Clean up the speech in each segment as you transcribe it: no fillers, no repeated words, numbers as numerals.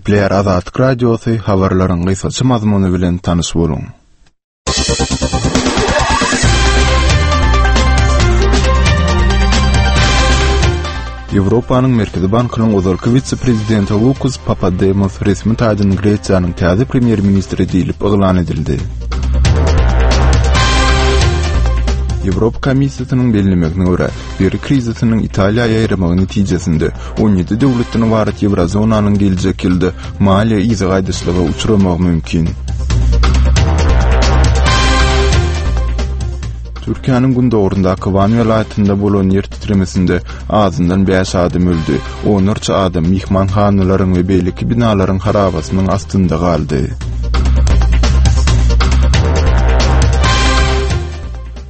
Gepleýär Azatlyk Radiosy, habarlaryň gysgaça mazmuny bilen tanyş boluň. Ýewropanyň Merkezi bankynyň ozalky wise-prezidenti Lukas Papademos resmi taýdan Gresiýanyň täze premýer-ministri diýlip yglan edildi. Ýewropa Komissiýasynyň bellemegine görä, bergi krizisiniň Italiýa ýaýramagy netijesinde 17 döwletden ybarat Ýewrozonanyň geljek ýylda maliýe yza gaýdyşlyga uçramagy mümkin. Türkiýäniň gündogaryndaky Wan welaýatynda bolan ýer titremesinde azyndan bäş adam öldi, onlarça adam myhmanhanalaryň we beýleki binalaryň harabasynyň astynda galdy.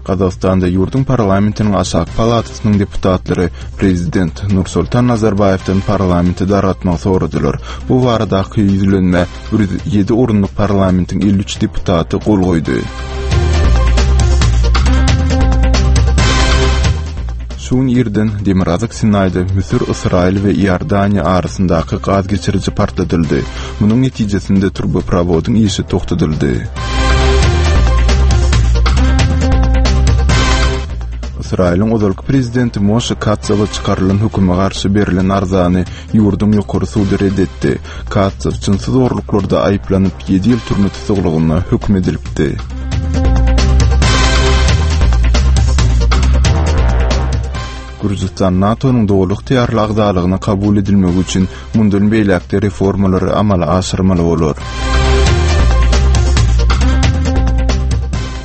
Gazagystanda ýurduň parlamentiniň aşaky palatasynyň deputatlary prezident Nursultan Nazarbaýewden parlamenti dargatmagy soradylar. Bu baradaky ýüzlenmä 107 orunlyk parlamentiň 53 deputaty gol goýdy. Şu gün irden Demirgazyk Sinaýda Müsür, Ysraýyl we Iordaniýa arasyndaky gaz geçiriji partladyldy. Munuň netijesinde turboprowodyň işi togtadyldy. Ysraýylyň ozalky prezidenti Moşe Katsawa çykarylan höküme garşy berlen arzany ýurduň ýokary sudy red etdi. Katsaw jynsy zorluklarda aýyplanyp, ýedi ýyl türme tussaglygyna höküm edilipdi. Gürjüstan NATO-nyň doly ygtyýarly agzalygyna kabul edilmegi üçin mundan beýläk-de reformalary amala aşyrmaly bolar.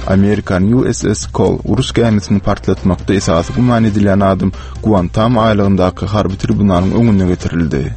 Amerikan USS Cole uruş gämisini partlatmakda esasy güman edilýän adam Guantamo aýlagyndaky harby tribunalyň öňüne getirildi.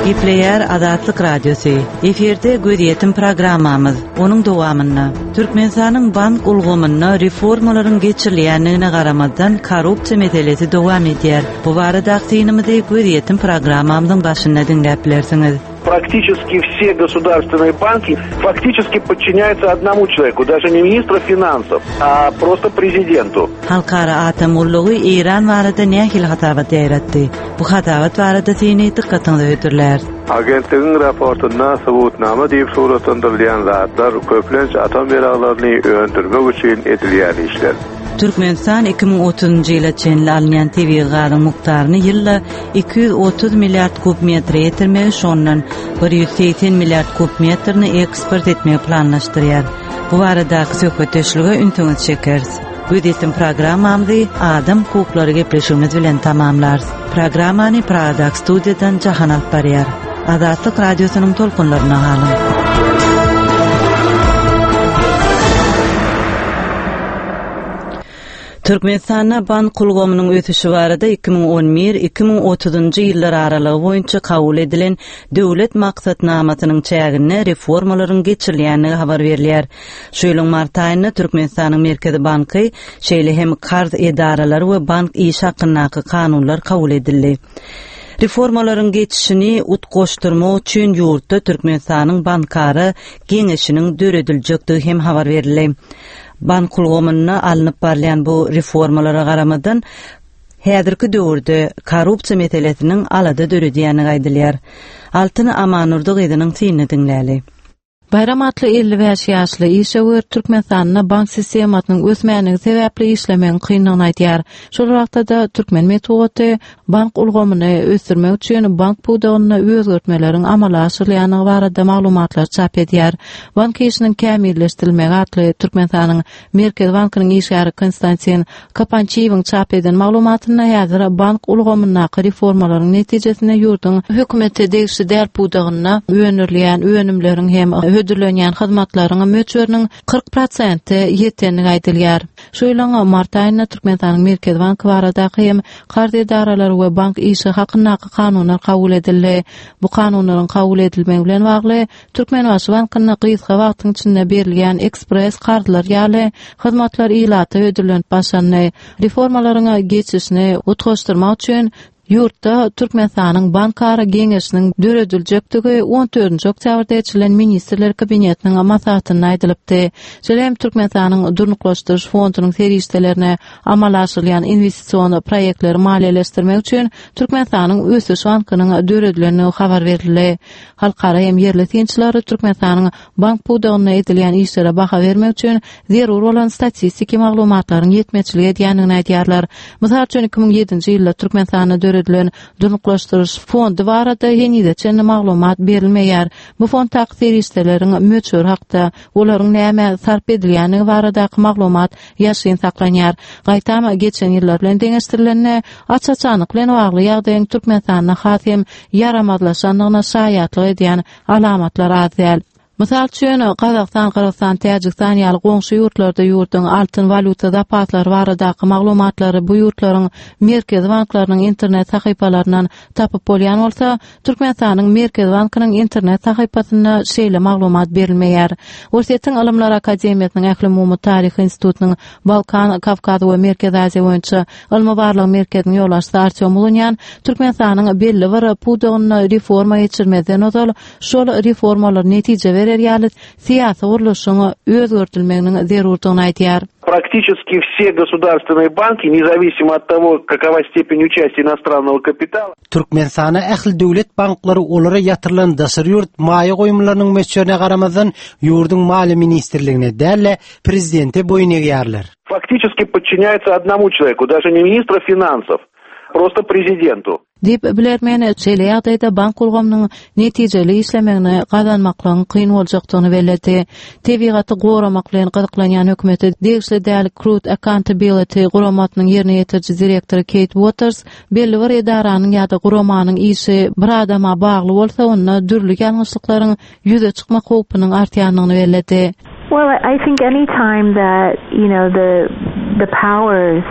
Gepleýär Azatlyk Radiosy. Efirde gözýetim programmamyz. Onuň dowamynda Türkmenistanyň bank ulgamynda reformalaryň geçirilýändigine garamazdan korrupsiýa meselesi dowam edýär. Bu baradaky synymyzy gözýetim programmamyzyň başynda diňläp bilersiňiz. Практически все государственные банки фактически подчиняются одному человеку, даже не министру финансов, а просто президенту. Halkara atom gullugy Eýran barada nähili hasabat ýaýratdy? Bu hasabat barada syny dykgatyňyza hödürläris. Agentligiň raportynda subutnama diýip suratlandyrylýan zatlar köplenç atom ýaraglaryny öndürmek üçin edilýän işler. Türkmenistan 2030-njy ýyla çenli alynýan tebigy gazyň mukdaryny ýylda 230 milliard kub metre ýetirmegi, şondan 180 milliard kub metrini eksport etmegi planlaşdyrýar. Bu baradaky söhbetdeşlige ünsüňizi çekeris. Gözýetim programmamyzy Adam hukuklary gepleşigimiz bilen tamamlarys. Programmany Pragadaky studiýadan Jahan alyp barýar. Azatlyk Radiosynyň tolkunlarynda galyň! Türkmenistanda bank ulgamynyň ösüşi barada 2011, 2030-njy ýyllar aralygy boýunça kabul edilen Döwlet maksatnamasynyň çäginde reformalaryň geçirilýändigi habar berilýär. Şu ýylyň mart aýynda Türkmenistanyň Merkezi banky, şeýle hem karz edaralary we bank işi hakyndaky kanunlar kabul edildi. Reformalaryň geçişini utgaşdyrmak üçin ýurtda Türkmenistanyň Bankara geňeşiniň dörediljekdigi hem habar berildi. Bank ulgamynda alnyp barylýan bu reformalara garamazdan, häzirki döwürde korrupsiýa meselesiniň alada döredýändigi aýdylýar. Altyn Amandurdy gyzynyň synyny diňläli. Baýram atly 55 ýaşly işewür Türkmenistanda bank sistemasynyň ösmänligi sebäpli işlemegiň kyndygyny aýdýar. Şol wagtda-da türkmen metbugaty bank ulgamyny ösdürmek üçin bank pudagynda özgertmeleriň amala aşyrylýandygy barada maglumatlary çap edýär. Bank işiniň kämilleşdirilmegi atly Türkmenistanyň Merkezi bankynyň işgäri Konstantin Kapançiýewiň çap eden maglumatynda häzir bank ulgamyndaky reformalaryň netijesinde ýurduň hökümete degişli däl pudagynda öndürilýän önümleriň hem hödürlenýän hyzmatlaryň möçberiniň 40 prosente ýetendigi aýdylýar. Şu ýylyň mart aýynda Türkmenistanyň Merkezi banky baradaky hem Karz edaralary we bank işi hakyndaky kanunlar kabul edildi. Bu kanunlaryň kabul edilmegi bilen bagly Türkmenbaşy bankynda gysga wagtyň içinde berilýän ekspress karzlar ýaly hyzmatlar ilata hödürlenip başlandy. Reformalaryň geçişini utgaşdyrmak üçin. Ýurtda Türkmenistanyň Bankara geňeşiniň dörediljekdigi on dördünji oktýabrda geçirilen Ministrler Kabinetiniň maslahatynda aýdylypdy. Şeýle hem Türkmenistanyň Durnuklaşdyryş fondunyň serişdelerine amala aşyrylýan inwestision proýektleri maliýeleşdirmek üçin Türkmenistanyň Ösüş bankynyň döredilendigi habar berildi. Halkara hem ýerli synçylar Türkmenistanyň bank pudagynda edilýän işlere baha bermek üçin zerur bolan statistiki maglumatlaryň ýetmezçilik edýändigini aýdýarlar. Mysal üçin, 2007-nji ýylda Türkmenistanda döredilen Durnuklaşdyryş fondy barada henize çenli maglumat berilmeýär. Bu fonddaky serişdeleriň möçberi hakda, olaryň nämä sarp edilýändigi baradaky maglumat ýaşyryn saklanýar. Gaýtam, geçen ýyllar bilen deňeşdirilende, aç-açanlyk bilen bagly ýagdaýyň Türkmenistanda has hem ýaramazlaşandygyna şaýatlyk edýän alamatlar az däl. Mysal üçin, Gazagystan, Gyrgyzystan, Täjigistan ýaly goňşy ýurtlarda ýurduň altyn walýuta zapaslary baradaky maglumatlary bu ýurtlaryň Merkezi banklarynyň internet sahypalaryndan tapyp bolýan bolsa, Türkmenistanyň Merkezi bankynyň internet sahypasynda şeýle maglumat berilmeýär. Orsýetiň Ylymlar akademiýasynyň Ählumumy taryh institutynyň Balkan, Kawkaz we Merkezi Aziýa boýunça Ylmy-barlag merkeziniň ýolbaşçysy Artýom Ulunýan Türkmenistanyň belli bir pudagynda reforma geçirmezden ozal şol reformalar netije berer ýaly syýasy gurluşyň özgerdilmeginiň zerurdygyny aýdýar. Практически все государственные банки, независимо от того, какова степень участия иностранного капитала, Türkmenistanda ähli döwlet banklary olara ýatyrylan daşary ýurt maýa goýumlarynyň möçberine garamazdan, ýurduň Maliýe ministrligine däl-de, prezidente boýun egýärler. Фактически подчиняется одному человеку, даже не министру финансов, просто президенту. Diýip, bilermen şeýle ýagdaýda bank ulgamynyň netijeli işlemegini gazanmaklygyň kyn boljakdygyny belledi. Tebigaty goramak bilen gyzyklanýan hökümete degişli däl Crude Accountability guramasynyň ýerine ýetiriji direktory Keýt Uoters belli bir edaranyň ýa-da guramanyň işi bir adama bagly bolsa, onda dürli ýalňyşlyklaryň ýüze çykmak howpunyň artýandygyny belledi. Well, I think any time that, you know, the the powers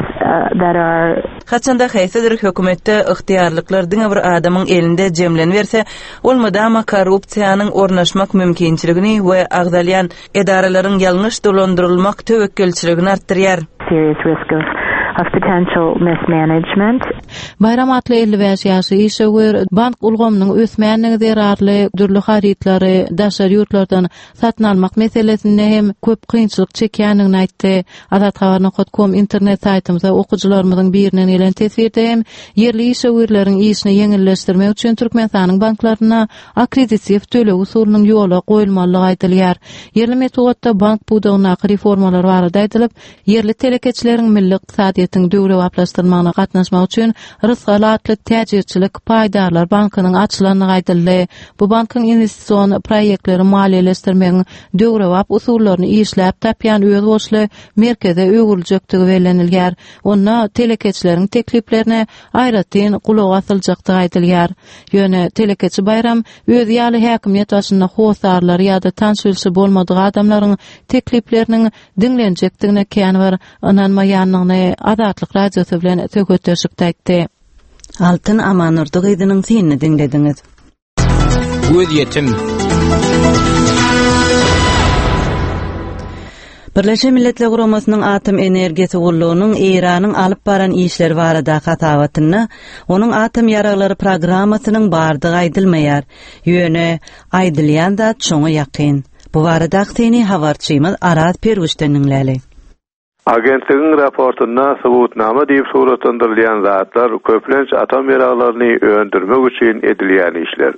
that are. Haçanda haýsydyr hökümetde ygtyýarlyklar diňe bir adamyň elinde jemleniberse, ol mydama korrupsiýanyň ornaşmak mümkinçiligini we agzalýan edaralaryň ýalňyş dolandyrylmak töwekgelçiligini artdyrýar. Serious risk of of potential mismanagement. Baýram atly 55 ýaşly işewür bank ulgamynyň ösmänligi zerarly dürli harytlary daşary ýurtlardan satyn almak meselesinde hem köp kynçylyk çekýändigini aýtdy. Azathabar nokat kom internet saýtymyza okyjylarymyzyň birinden gelen teswirde hem ýerli işewürleriň işini ýeňilleşdirmek üçin Türkmenistanyň banklarynda akkreditiw töleg usulynyň ýola goýulmalydygy aýdylýar. Ýerli metbugatda bank pudagyndaky reformalar barada aýdylyp, ýerli telekeçileriň milli ykdysadyýetiň döwrebaplaşdyrylmagyna gatnaşmagy üçin Rysgal atly täjirçilik paýdarlar bankynyň açylandygy aýdyldy. Bu bankyň inwestision proýektleri maliýeleşdirmegiň döwrebap usullaryny işläp tapýan özboluşly merkeze öwrüljekdigi bellenilýär. Onda telekeçileriň tekliplerine aýratyn gulak asyljakdygy aýdylýar. Ýöne telekeçi Baýram özi ýaly häkimiýet başynda hossarlary ýa-da tanyş-bilşi bolmadyk adamlaryň teklipleriniň diňlenjekdigine kän bir ynanmaýandygyny Azatlyk Radiosy bilen söhbetdeşlikde aýtdy. Altyn Amandurdy gyzynyň synyny diňlediňiz. Gözýetim. Birleşen Milletler Guramasynyň Atom energiýasy gullugynyň Eýranyň alyp baran işleri baradaky hasabatynda onuň atom ýaraglary programmasynyň bardygy aýdylmaýar. Ýöne aýdylýan zat şoňa ýakyn. Bu baradaky syny habarçymyz Araz Perwişden diňläli. Agentligiň raportynda subutnama diýip suratlandyrylýan zatlar köplenç atom ýaraglaryny öndürmek üçin edilýän işler.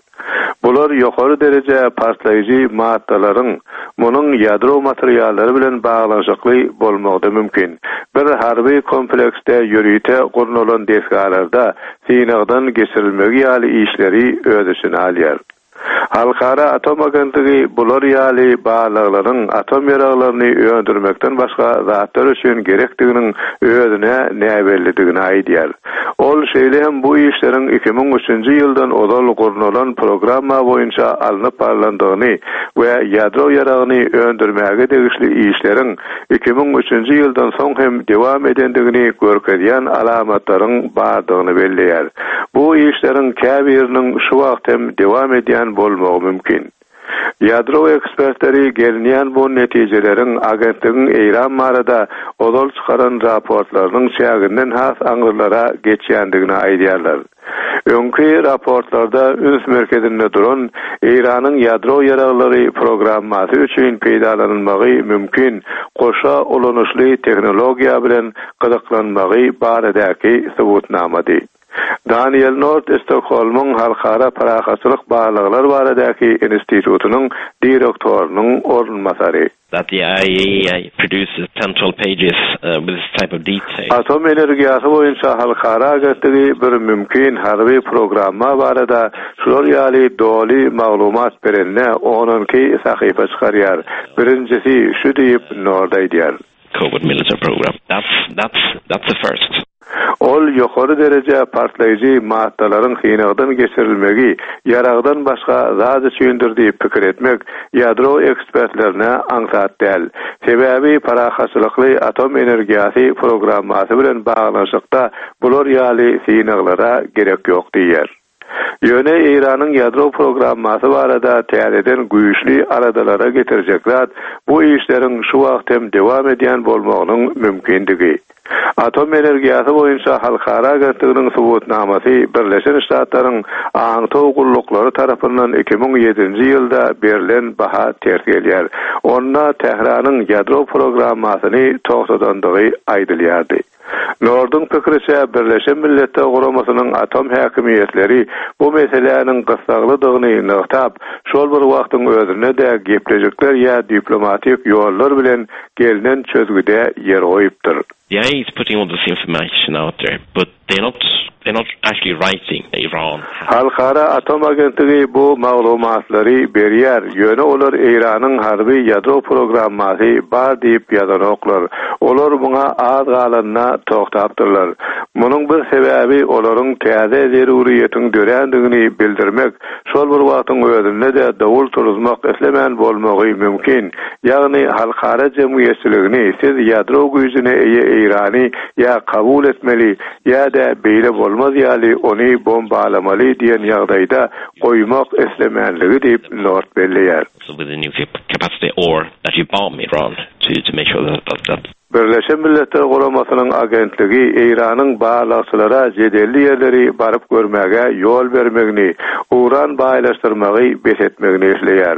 Bular ýokary dereje partlaýjy maddalaryň, munuň ýadro materiallary bilen baglanyşykly bolmagy-da mümkin, bir harby kompleksde ýörite gurnalan desgalarda synagdan geçirilmegi ýaly işleri öz içine alýar. Halkara atom agentligi bular ýaly barlaglaryň atom ýaraglaryny öndürmekden başga zatlar üçin gerekdiginiň özüne näbellidigini aýdýar. Ol şeýle hem bu işleriň 2003-nji ýyldan ozal gurnalan programma boýunça alnyp barlandygyny we ýadro ýaragyny öndürmäge degişli işleriň 2003-nji ýyldan soň hem dowam edendigini görkezýän alamatlaryň bardygyny belleýär. Bu işleriň käbiriniň şu wagt hem dowam edýän bolmagy mümkin. Ýadro ekspertleri gelinýän bu netijeleriň agentligiň Eýran barada ozal çykaran raportlarynyň çäginden has aňrylara geçýändigini aýdýarlar. Öňki raportlarda üns merkezinde duran Eýranyň ýadro ýaraglary programmasy üçin peýdalanylmagy mümkin goşa ulanyşly tehnologiýa bilen gyzyklanmagy baradaky subutnamady. Daniel Nord Stokholmyň Halkara parahatçylyk barlaglar baradaky institutynyň direktorynyň orunbasary. That the IAEA produces 10-12 pages with this type of detail. Atom energiýasy boýunça halkara agentligi bir mümkin harby programma barada şular ýaly doly maglumat berende on-onki sahypa çykarýar. Birinjisi şu diýip, Nord aýdýar. Covert military program. That's, that's, that's a first. Ol ýokary dereje partlaýjy maddalaryň synagdan geçirilmegi ýaragdan başga zat üçindir diýip pikir etmek ýadro ekspertlerine aňsat däl. Sebäbi parahatçylykly atom energiýasy programmasy bilen baglanyşykda bular ýaly synaglara gerek ýok diýýär. Ýöne Eýranyň ýadro programmasy barada täzeden güýçli aladalara getirjek zat bu işleriň şu wagt hem dowam edýän bolmagynyň mümkindigi. Atom energiýasy boýunça halkara agentliginiň subutnamasy Birleşen Ştatlaryň aňtaw gulluklary tarapyndan 2007-nji ýylda berlen baha ters gelýär. Onda Tähranyň ýadro programmasyny togtadandygy aýdylýardy. Norduň pikiriçe, Birleşen Milletler Guramasynyň atom häkimiýetleri bu meseläniň gyssaglydygyny nygtap, şol bir wagtyň özünde-de gepleşikler ýa diplomatik ýollar bilen gelnen çözgüde ýer goýupdyr. The IAEA is putting all this information out there, but they're not they're not actually writing Iran has. Halkara atom agentligi bu maglumatlary berýär, ýöne olar Eýranyň harby ýadro programmasy bar diýip ýazanoklar. Olar muňa az galanda togtapdyrlar. Munuň bir sebäbi olaryň täze zeruryýetiň dörändigini bildirmek, şol bir wagtyň özünde-de dowul turuzmak islemän bolmagy mümkin. Ýagny halkara jemgyýetçiligini siz ýadro güýjüne eýe Eýrany ýa kabul etmeli, ýa-da beýle bolmaz ýaly ony bombalamaly diýen ýagdaýda goýmak islemänligi diýip, Nord belleýär. Birleşen Milletler Guramasynyň agentligi Eýranyň barlagçylara jedelli ýerleri baryp görmäge ýol bermegini, uran baýlaşdyrmagy bes etmegini isleýär.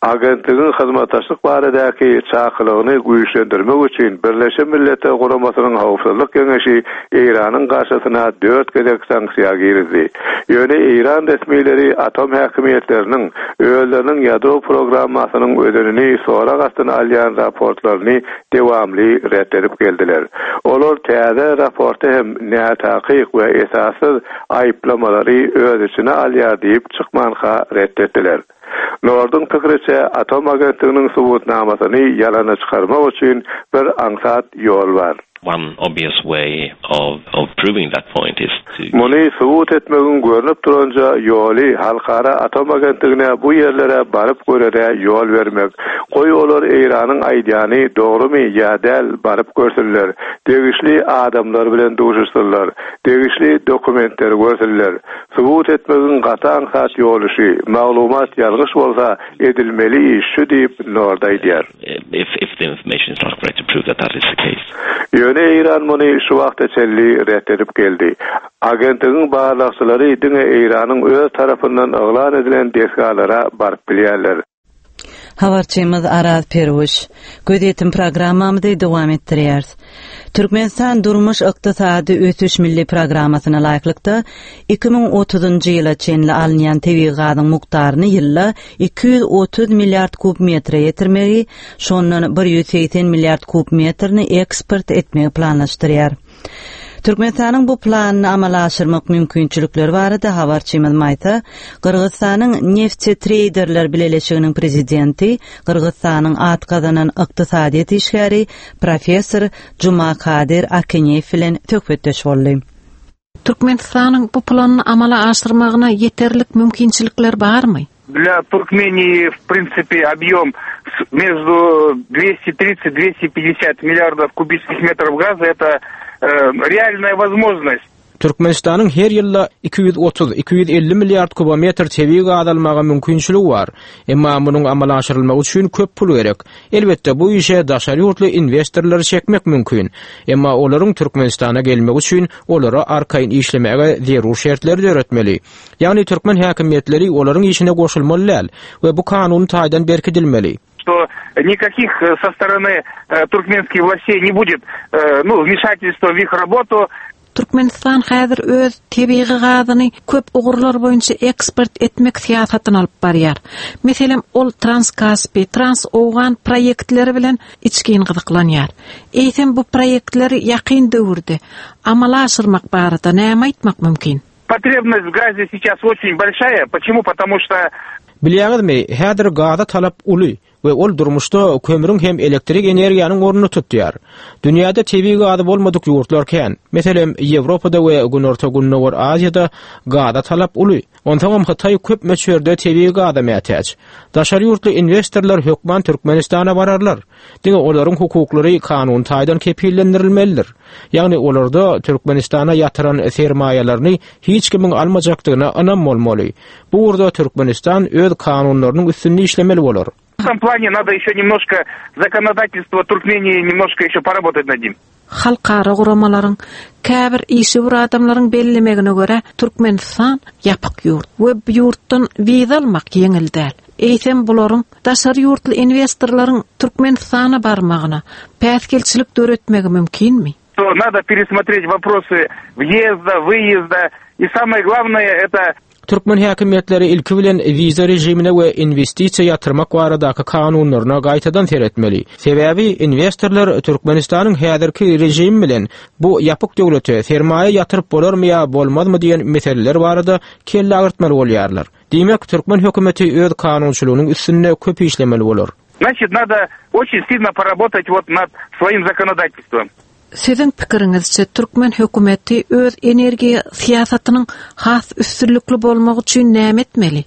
Agentligiň hyzmatdaşlyk baradaky çakylygyny güýçlendirmek üçin Birleşen Milletler Guramasynyň Howpsuzlyk Geňeşi Eýranyň garşysyna dört gezek sanksiýa girizdi. Ýöne eýran resmileri atom häkimiýetleriniň özleriniň ýadro programmasynyň özenini sorag astyna alýan raportlaryny dewamly ret edip geldiler. Olar täze raporty hem nätakyk we esassyz aýyplamalary öz içine alýar diýip çykmanka ret etdiler. Norduň pikiriçe, atom agentliginiň subutnamasyny ýalana çykarmak üçin bir aňsat ýol bar. One obvious way of of proving that point is to. Muny subut etmegiň görnüp duranja ýoly Halkara atom agentligine bu ýerlere baryp görere ýol bermek. Goý olar Eýranyň aýdýany dogrumy ýa däl baryp görsünler, degişli adamlar bilen duşuşsynlar, degişli dokumentleri görsünler. Subut etmegiň gaty aňsat ýoly şu, maglumat ýalňyş bolsa edilmeli iş şu diýip Nord aýdýar. Ýöne Eýran muny şu wagta çenli ret edip geldi. Agentligiň barlagçylary diňe Eýranyň öz tarapyndan yglan edilen desgalara baryp bilýärler. Habarçymyz Araz Perwiş. Gözýetim programmamyzy dowam etdirýäris. Türkmenistan Durmuş-ykdysady ösüş milli programmasyna laýyklykda, 2030-njy ýyla çenli alynýan tebigy gazyň mukdaryny ýylda 230 milliard kub metre ýetirmegi, şondan 180 milliard kub metrini eksport etmegi planlaşdyrýar. Türkmenistanyň bu planyny amala aşyrmak mümkinçilikleri barada habarçymyz Maýsa, Gyrgyzystanyň Neftetreýderler bileleşiginiň prezidenti, Gyrgyzystanyň at gazanan ykdysadyýet işgäri, professor Jumakadyr Akeneýew bilen söhbetdeş boldy. Türkmenistanyň bu planyny amala aşyrmagyna ýeterlik mümkinçilikler barmy? Для Туркмении, в принципе, объем между 230-250 миллиардов кубических метров газа – это э, реальная возможность. Türkmenistanyň her ýylda 230, 250 milliard kubometr tebigy gaz almaga mümkinçiligi bar. Emma munuň amala aşyrylmagy üçin köp pul gerek. Elbetde, bu işe daşary ýurtly inwestorlary çekmek mümkin. Emma olaryň Türkmenistana gelmegi üçin olara arkaýyn işlemäge zerur şertleri döretmeli. Ýagny türkmen häkimiýetleri olaryň işine goşulmaly däl we bu kanuny taýdan berkidilmeli. Что никаких со стороны туркменских властей не будет, ну, вмешательства в их работу. Türkmenistan häzir öz tebigy gazyny köp ugurlar boýunça eksport etmek syýasatyny alyp barýar. Meselem, ol Transkaspi, Transowgan proýektleri bilen içgin gyzyklanýar. Eýsem, bu proýektleri ýakyn döwürde amala aşyrmak barada näme aýtmak mümkin? Потребность в газе сейчас очень большая. Почему? Потому что Bilýäňizmi, häzir gaza talap uly we ol durmuşda kömrüň hem elektrik energiýanyň ornuny tutýar. Dünýäde tebigy gazy bolmadyk ýurtlar kän. Meselem, Ýewropada we Günorta-Gündogar Aziýada gaza talap uly. Onsoňam Hytaý köp möçberde tebigy gaza mätäç. Daşary ýurtly inwestorlar hökman Türkmenistana bararlar. Diňe olaryň hukuklary kanuny taýdan kepillendirilmelidir. Ýagny olarda Türkmenistana ýatyran sermaýalaryny hiç kimiň almajakdygyna ynam bolmaly. Bu ugurda Türkmenistan öz kanunlarynyň üstünde işlemeli bolar. W этом plane nado ýeşe nemnožko zakonodatelstwo Turkmenii nemnožko ýeşe porobotat nad nim. Halkara guramalaryň, käbir işewür adamlaryň bellemegine görä, Türkmenistan ýapyk ýurt we bu ýurtdan wiza almak ýeňil däl. Eýsem bularyň daşary ýurtly inwestorlaryň Türkmenistana barmagyna päsgelçilik döretmegi mümkinmi? Nado peresmotret woprosy wýezda, wyýezda i samoe glawnoe eto Türkmen häkimiýetleri ilki bilen wiza režimine we inwestisiýa ýatyrmak baradaky kanunlaryna gaýtadan seretmeli. Sebäbi inwestorlar Türkmenistanyň häzirki režimi bilen bu ýapyk döwlete sermaýa ýatyryp bolarmy ýa bolmazmy diýen meseleler barada kelle agyrtmaly bolýarlar. Diýmek, türkmen hökümeti öz kanunçylygynyň üstünde köp işlemeli bolar. Значит, надо очень сильно поработать вот над своим законодательством. Siziň pikiriňizçe, türkmen hökümeti öz energiýa syýasatynyň has üstünlikli bolmagy üçin näme etmeli?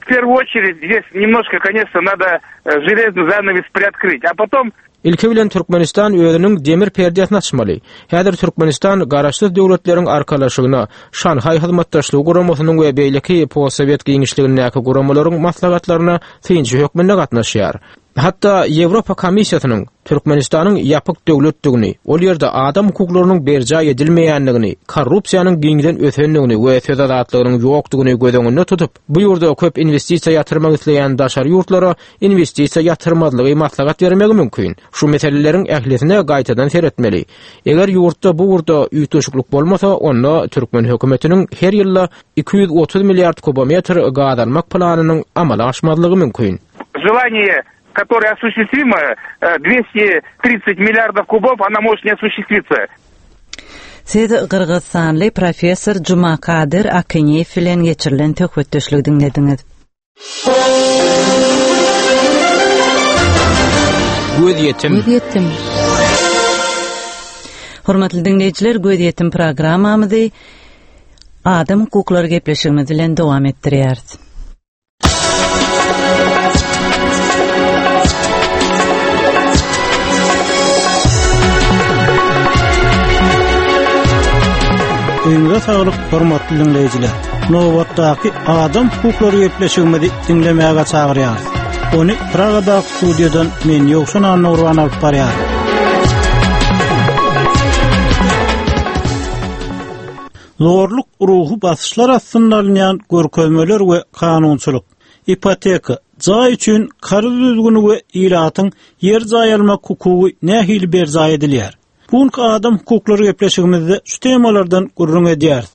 W первую очередь здесь немножко, конечно, надо железный занавес приоткрыть, a potom Ilki bilen Türkmenistan özüniň demir perdesini açmaly. Häzir Türkmenistan Garaşsyz Döwletleriň Arkalaşygyna, Şanhaý Hyzmatdaşlygy Guramasynyň we beýleki postsowet giňişligindäki guramalaryň maslahatlaryna synçy hökmünde gatnaşýar. Hatda Ýewropa Komissiýasynyň Türkmenistanyň ýapyk döwletdigini, ol ýerde adam hukuklarynyň berjaý edilmeýändigini, korrupsiýanyň giňden ösendigini we söz azatlygynyň ýokdugyny göz öňünde tutup, bu ýurda köp inwestisiýa ýatyrmak isleýän daşary ýurtlara inwestisiýa ýatyrmazlygy maslahat bermegi mümkin. Şu meseleleriň ählisine gaýtadan seretmeli. Eger ýurtda bu ugurda üýtgeşiklik bolmasa, onda türkmen hökümetiniň her ýylda 230 milliard kubometr gaz almak planynyň amala aşmazlygy mümkin. Желание, которое осуществимо, 230 milliardов kubов, она может не осуществиться. Siz gyrgyzystanly professor Jumakadyr Akynyýew bilen geçirilen söhbetdeşligi diňlediňiz. Gözýetim. Gözýetim. Hormatly diňleýjiler, Gözýetim programmamyzy adam hukuklary gepleşigimiz bilen dowam etdirýäris. Öňüňize saglyk, hormatly diňleýjiler! Nobatdaky adam hukuklary gepleşigimizi diňlemäge çagyrýarys. Ony Pragadaky studiýadan men Ýowşan Annagurban alyp barýaryn. Zorluk ruhy basyşlar astynda alynýan görkezmeler we kanunçylyk, ipoteka, jaý üçin karz düzgüni we ilatyň ýer-jaý almak hukugy nähili berjaý edilýär? Bu günki adam hukuklary gepleşigimizde şu temalardan gürrüň edýäris.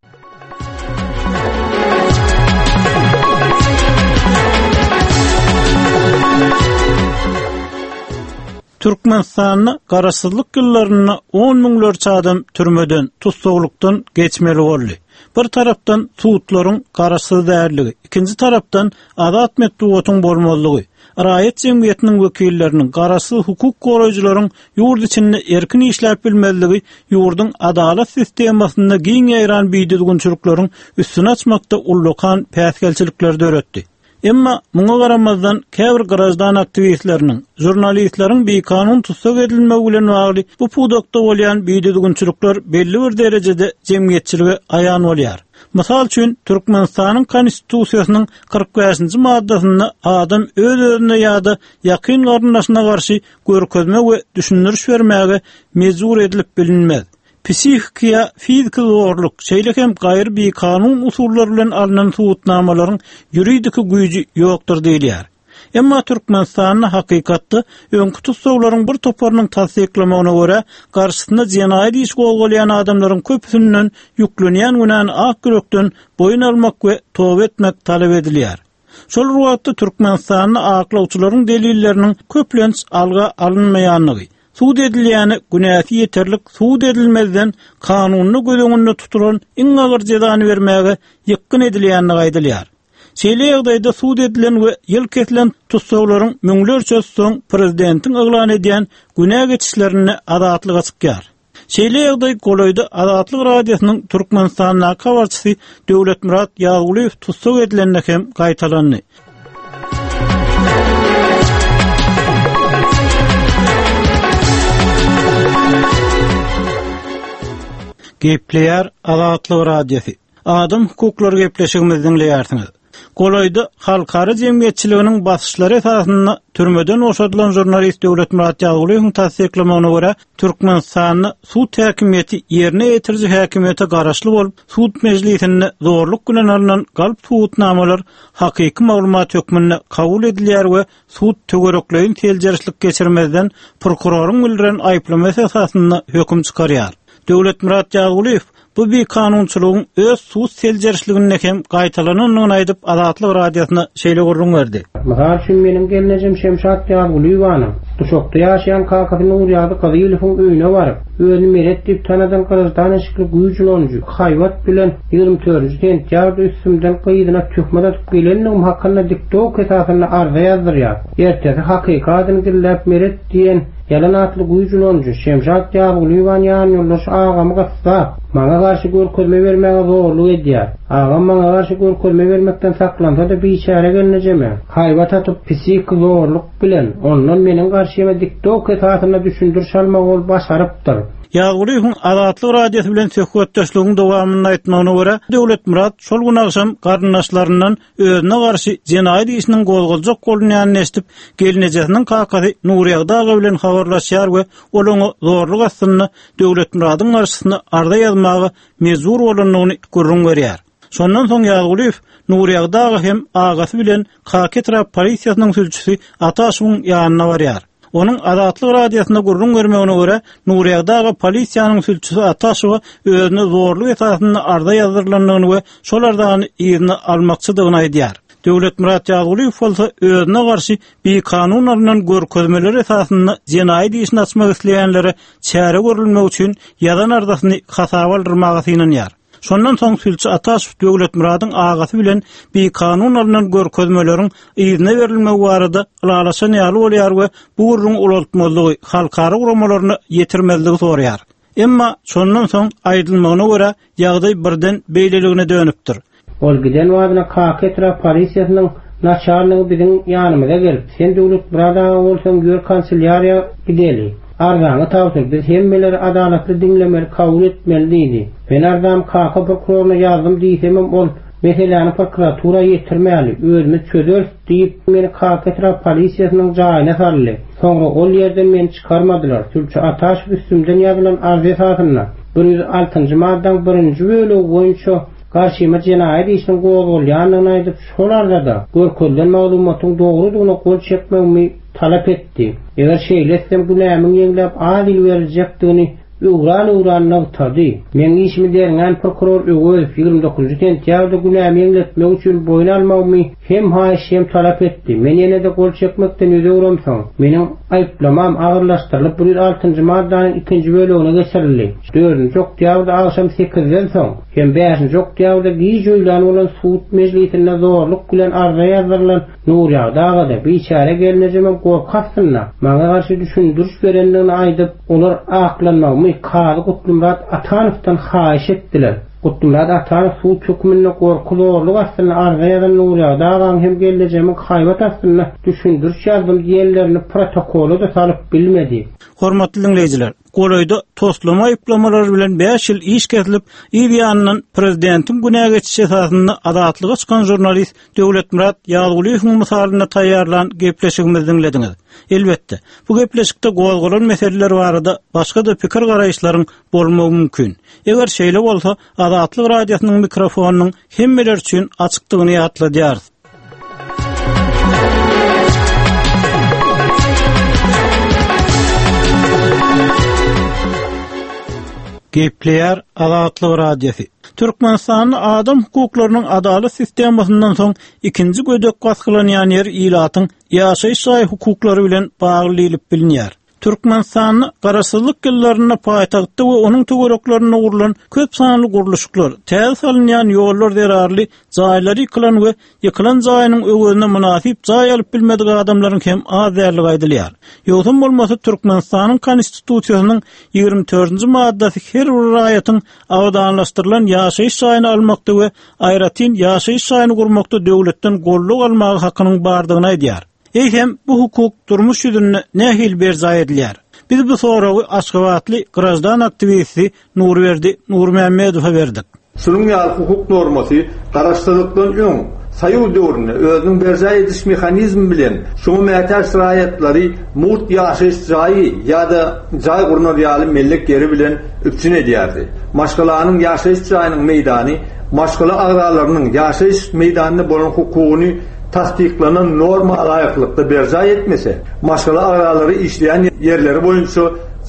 Türkmenistanda garaşsyzlyk ýyllarynda on müňlerçe adam türmeden, tussaglykdan geçmeli boldy. Bir tarapdan sudlaryň garaşsyz dälligi, ikinji tarapdan azat metbugatyň bolmazlygy, raýat jemgyýetiniň wekilleriniň, garaşsyz hukuk goraýjylaryň ýurt içinde erkin işläp bilmezligi ýurduň adalat sistemasynda giň ýaýran bidüzgünçilikleriň üstüni açmakda ullakan päsgelçilikleri döretdi. Emma muňa garamazdan, käbir graždan aktiwistleriniň, žurnalistleriň bikanun tussag edilmegi bilen bagly bu pudakda bolýan bidüzgünçilikler belli bir derejede jemgyýetçilige aýan bolýar. Mysal üçin, Türkmenistanyň Konstitusiýasynyň 45-nji maddasynda adam öz-özüne ýa-da ýakyn garyndaşyna garşy görkezme we düşündiriş bermäge mejbur edilip bilinmez. Psihiki ýa fiziki zorluk, şeýle hem gaýry bikanun usullar bilen alnan subutnamalaryň ýuridiki güýji ýokdur diýilýär. Emma Türkmenistanda hakykatda öňki tussaglaryň bir toparynyň tassyklamagyna görä, garşysyna jenaýat iş gozgalýan adamlaryň köpüsinden ýüklenýän günäni ak ýürekden boýun almak we toba etmek talap edilýär. Şol bir wagtda Türkmenistanda aklawçylaryň delilleriniň köplenç alga alynmaýandygy, sud edilýäne günäsi ýeterlik subut edilmezden kanunda göz öňünde tutulan iň agyr jezany bermäge ýykgyn edilýändigi aýdylýar. Şeýle ýagdaýda sud edilen we ýyl kesilen tussaglaryň müňlerçesi soň prezidentiň yglan edýän günä geçişlerinde azatlyga çykýar. Şeýle ýagdaý golaýda Azatlyk Radiosynyň Türkmenistandaky habarçysy Döwletmyrat Ýazgulyýew tussag edilende hem gaýtalandy. Gepleýär Azatlyk Radiosy. Adam hukuklary gepleşigimizi diňleýärsiňiz. Golaýda halkara jemgyýetçiliginiň basyşlary esasynda türmeden boşadylan žurnalist Döwletmyrat Ýazgulyýewiň tassyklamagyna görä, Türkmenistanda sud häkimiýeti ýerine ýetiriji häkimiýete garaşly bolup, sud mejlisinde zorluk bilen alnan galp subutnamalar hakyky maglumat hökmünde kabul edilýär we sud töwerekleýin seljerişlik geçirmezden prokuroryň bildiren aýyplamasy esasynda höküm çykarýar. Döwletmyrat Ýazgulyýew Bu bikanunçylygyň öz sud seljerişliginde hem gaýtalanandygyny aýdyp, Azatlyk Radiosyna şeýle gürrüň berdi. Mysal üçin, meniň gelnejem Şemşat Ýazgulyýewanyň Duşakda ýaşaýan kakasy Nurýagdy Gyzylowyň öýüne baryp, özüni Meret diýip tanadan gyzyldan eşikli güýç ulanyjy haýbat bilen 24-nji sentýabrda üstümden gyzyna töhmet atyp gelendigim hakynda diktowka esasynda arza ýazdyrýar. Ertesi hakyky adyny gizläp Meret diýen Ýalan atly güýç ulanyjy Şemşat Ýazgulyýewany ýanýoldaşy agamy gyssap, maňa garşy görkezme bermäge zorluk edýär. Agam maňa garşy görkezme bermekden saklansa-da biçäre gelnejeme haýbat atyp, psihiki zorluk bilen ondan meniň garşyma diktowka esasynda düşündiriş almagy ol başarypdyr. Ýazgulyýewiň Azatlyk Radiosy bilen söhbetdeşligiň dowamynda aýtmagyna görä, Döwletmyrat şol gün agşam garyndaşlaryndan özüne garşy jenaýat işiniň gozgaljak bolunýanyny eşidip, gelnejesiniň kakasy Nurýagdy aga bilen habarlaşýar we ol oňa zorluk astynda Döwletmyradyň garşysyna arza ýazmaga mejbur bolandygyny gürrüň berýär. Şondan soň Ýazgulyýew Nurýagdy aga hem agasy bilen Kaka etrap polisiýasynyň sülçüsi Ataşowyň ýanyna barýar. Onuň Azatlyk Radiosyna gürrüň bermegine görä, Nurýagdy aga polisiýanyň sülçüsi Ataşowa özüne zorluk esasynda arza ýazdyrylandygyny we şol arzany yzyna almakçydygyny aýdýar. Döwletmyrat Ýazgulyýew bolsa özüne garşy bikanun alnan görkezmeler esasynda jenaýat işini açmak isleýänlere çäre görülmegi üçin ýazan arzasyny hasaba aldyrmaga synanýar. Şondan soň sülçi Ataşow Döwletmyradyň agasy bilen bikanun alnan görkezmeleriň yzyna berilmegi barada ylalaşan ýaly bolýar we bu gürrüňi ulaltmazlygy, halkara guramalaryna ýetirmezligi soraýar. Emma şondan soň, aýdylmagyna görä, ýagdaý birden beýleligine dönüpdir. Ol giden badyna Kaka etrap polisiýasynyň naçalnigi biziň ýanymyza gelip, Sen Döwletmyrat aga bolsaň ýör kanselýariýa gideli. Arzaňy tabşyr, biz hemmeleri adalatly diňlemeli, kabul etmeli diýdi. Men arzamy Kaka prokuroryna ýazdym diýsemem ol, Meseläni prokuratura ýetirmäli, özümiz çözeris diýip, meni Kaka etrap polisiýasynyň jaýyna saldy. Soňra ol ýerden meni çykarmadylar. Sülçi Ataşow üstümden ýazylan arza esasynda, 106-njy maddaň birinji bölegi boýunça garşyma jenaýat işiniň gozgalýandygyny aýdyp, şol arzada görkezilen maglumatyň dogrudygyna gol çekmegimi talap etdi. Eger şeýle etsem günämiň ýeňläp az ýyl beriljekdigini öwran-öwran nygtady. Meň işimi derňän prokuror Öwezow 29 sentýabrda günämi ýeňletmek üçin boýun almagymy hem haýyş hem talap etdi. Men ýene-de gol çekmekden ýüz öwremsoň, meniň aýyplamam agyrlaşdyrylyp 106-njy maddanyň ikinji bölegine geçirildi. Dördünji oktýabrda agşam sekizden soň hem bäşinji oktýabrda giç öýlän bolan sud mejlisinde zorluk bilen arza ýazdyrylan Nurýagdy aga-da, biçäre gelnejemem gorky astynda, maňa garşy düşündiriş berendigini aýdyp, olar aklanmagymy kazy Gutlymyrat Atanowdan haýyş etdiler. Gutlymyrat Atanow sud höküminde gorky-zorluk astynda arza ýazan Nurýagdy agaň hem gelnejemiň haýbat astynda düşündiriş ýazdym diýenlerini protokola-da salyp bilmedi. Hormatly diňleýjiler, golaýda toslama aýyplamalary bilen bäş ýyl iş kesilip, yz ýanyndan prezidentiň günä geçişi esasynda azatlyga çykan žurnalist Döwletmyrat Ýazgulyýewiň mysalynda taýýarlan gepleşigimizi diňlediňiz. Elbetde, bu gepleşikde gozgalan meseleler barada başga-da pikir-garaýyşlaryň bolmagy mümkin. Eger şeýle bolsa, Azatlyk Radiosynyň mikrofonynyň hemmeler üçin açykdygyny ýatladýarys. Gepleýär Azatlyk Radiosy. Türkmenistanda adam hukuklarynyň adalat sistemasyndan soň ikinji gödek basgylanýan ýer ilatyň ýaşaýyş jaý hukuklary bilen bagly diýlip bilinýär. Türkmenistanda Garaşsyzlyk ýyllarynda paýtagtda we onuň töwereklerinde gurlan köp sanly gurluşyklar, täze salynýan ýollar zerarly jaýlary ýykylan we ýykylan jaýynyň öwezine mynasyp jaý alyp bilmedik adamlaryň hem az däldigi aýdylýar. Ýogsam bolmasa Türkmenistanyň Konstitusiýasynyň 24-nji maddasy her bir raýatyň abadanlaşdyrylan ýaşaýyş jaýyny almakda we aýratyn ýaşaýyş jaýyny gurmakda döwletden goldaw almaga hakynyň bardygyny aýdýar. Eýsem, bu hukuk durmuş ýüzünde nähili berjaý edilýär? Biz bu soragy aşgabatly graždan aktiwisti Nurberdi Nurmämmedowa berdik. Şunuň ýaly hukuk normasy garaşsyzlykdan öň, Soýuz döwründe özüniň berjaý ediş mehanizmi bilen şuňa mätäç raýatlary mugt ýaşaýyş jaýy ýa-da jaý gurnar ýaly mellek ýeri bilen üpjün edýärdi. Maşgalanyň ýaşaýyş jaýynyň meýdany maşgala agzalarynyň ýaşaýyş meýdanyna bolan hukugyny tassyklanan norma laýyklykda berjaý etmese, maşgala agzalary işleýän ýerleri boýunça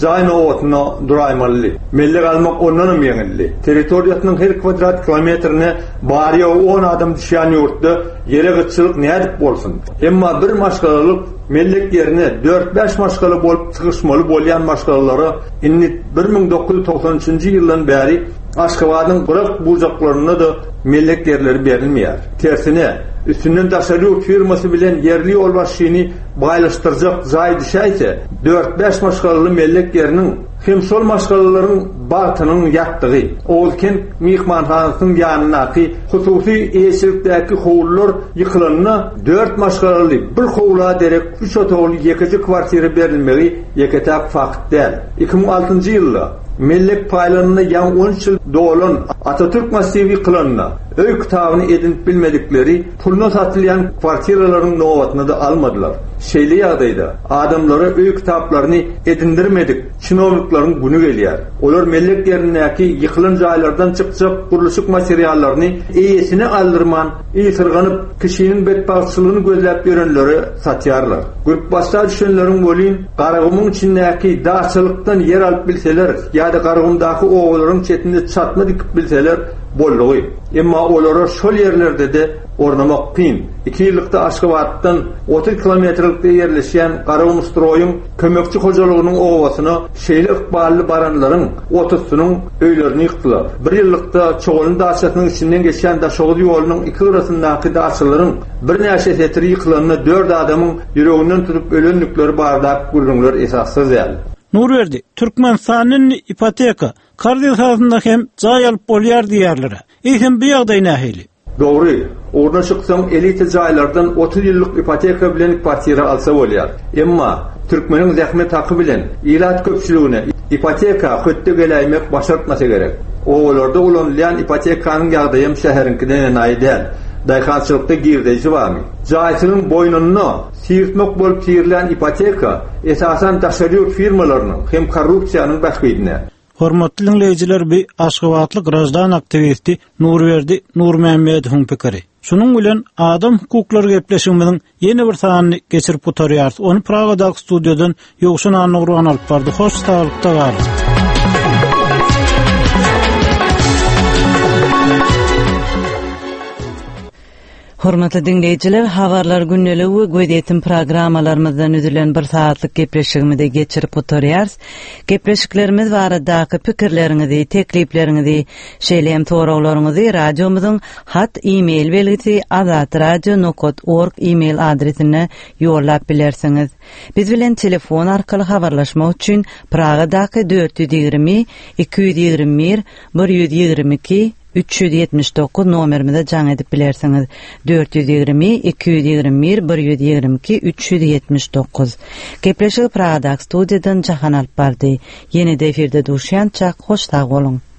jaý nobatyna duraýmalydy. Mellek almak ondanam ýeňildi. Territoriýasynyň her kwadrat kilometrine bary-ýogy on adam düşýän ýurtda ýere gytçylyk nädip bolsun? Emma bir maşgalalyk mellek ýerine dört-bäş maşgala bolup sygyşmaly bolýan maşgalalara indi 1993-nji ýyldan bäri Aşgabadyň gyrak-bujaklarynda-da mellek ýerleri berilmeýär. Tersine, üstünden daşary ýurt firmasy bilen ýerli ýolbaşçyny baýlaşdyrjak jaý düşäýse, dört-bäş maşgalaly mellek ýeriniň hem şol maşgalalaryň bagtynyň ýatdygy, Oguzkent myhmanhanasynyň ýanyndaky hususy eýeçilikdäki howlular ýykylanda, dört maşgalaly bir howla derek üç otagly ýekeje kwartira berilmegi ýeke-täk fakt däl. 2006-njy ýylda mellek paýlanyna ýaňy on üç ýyl dolan Atatürk massiwi ýykylanda, öý kitabyny edinip bilmedikleri puluna satylýan kwartiralaryň nobatyny-da almadylar. Şeýle ýagdaýda adamlara öý kitaplaryny edindirmedik çinownikleriň güni gelýär. Olar mellek ýerindäki ýykylan jaýlardan çykjak gurluşyk materiallaryny eýesine aldyrman, ysyrganyp, kişiniň betbagtçylygyny gözläp ýörenlere satýarlar. Gürpbasda düşenleriň welin, Garagumuň içindäki daçalykdan ýer alyp bilseler ýa-da Garagumdaky obalaryň çetinde çatma dikip bilseler boldugy. Emma olara şol ýerlerde-de ornamak kyn. Iki ýyllykda Aşgabatdan 30 kilometrlikde ýerleşýän Garagumstroýyň kömekçi hojalygynyň obasyna şeýle ykbally baranlaryň otuzsynyň öýlerini ýykdylar. Bir ýyllykda Çoganly daçasynyň içinden geçýän Daşoguz ýolunyň iki gyrasyndaky daçalaryň birnäçe setiri ýykylanda dört adamyň ýüreginden tutup ölendikleri baradaky gürrüňler esassyz däl. Nurberdi, Türkmenistanda indi ipoteka, karz esasynda hem jaý alyp bolýar diýýärler-ä. Eýsem bu ýagdaý nähili? Dogry, ugruna çyksaň elita jaýlardan 30 ýyllyk ipoteka bilen kwartira alsa bolýar. Emma, türkmeniň zähmet haky bilen ilat köpçüligine ipoteka hötde geläýmek başartmasa gerek. Obalarda ulanylýan ipotekanyň ýagdaýam şäheriňkiden enaýy däl. Daýhançylykda girdeji barmy? Jaýsynyň boýnunda sirtmek bolup sirilen ipoteka esasan daşary ýurt firmalarynyň hem korrupsiýanyň bähbidine. Hormatly diňleýjiler bi Aşgabatly graždan aktiwisti Nurberdi Nurmämmedowyň pikiri. Şunuň bilen Adam hukuklary gepleşigimiziň ýene bir sanyny geçirip gutarýarys. Ony Pragadaky studiýadan Ýowşan Annagurban alyp bardy. Hoş saglykda galyň. Hormatly diňleýjiler, Habarlar gündeligi we gözýetim programmalarymyzdan üzülen bir sagatlyk gepleşigimizi geçirip gutarýarys. Gepleşiklerimiz baradaky pikirleriňizi, teklipleriňizi, şeýle hem soraglaryňyzy radiomyzyň hat e-mail belgisi azatradio nokat org e-mail adresine ýollap bilersiňiz. Biz bilen telefon arkaly habarlaşmak üçin Pragadaky 420 221 122. 379 nomerimize jaň edip bilersiňiz. 420 221 122 379. Gepleşigi Pragadaky studiýadan Jahan alyp bardy. Ýene-de efirde duşýançak hoş sag boluň.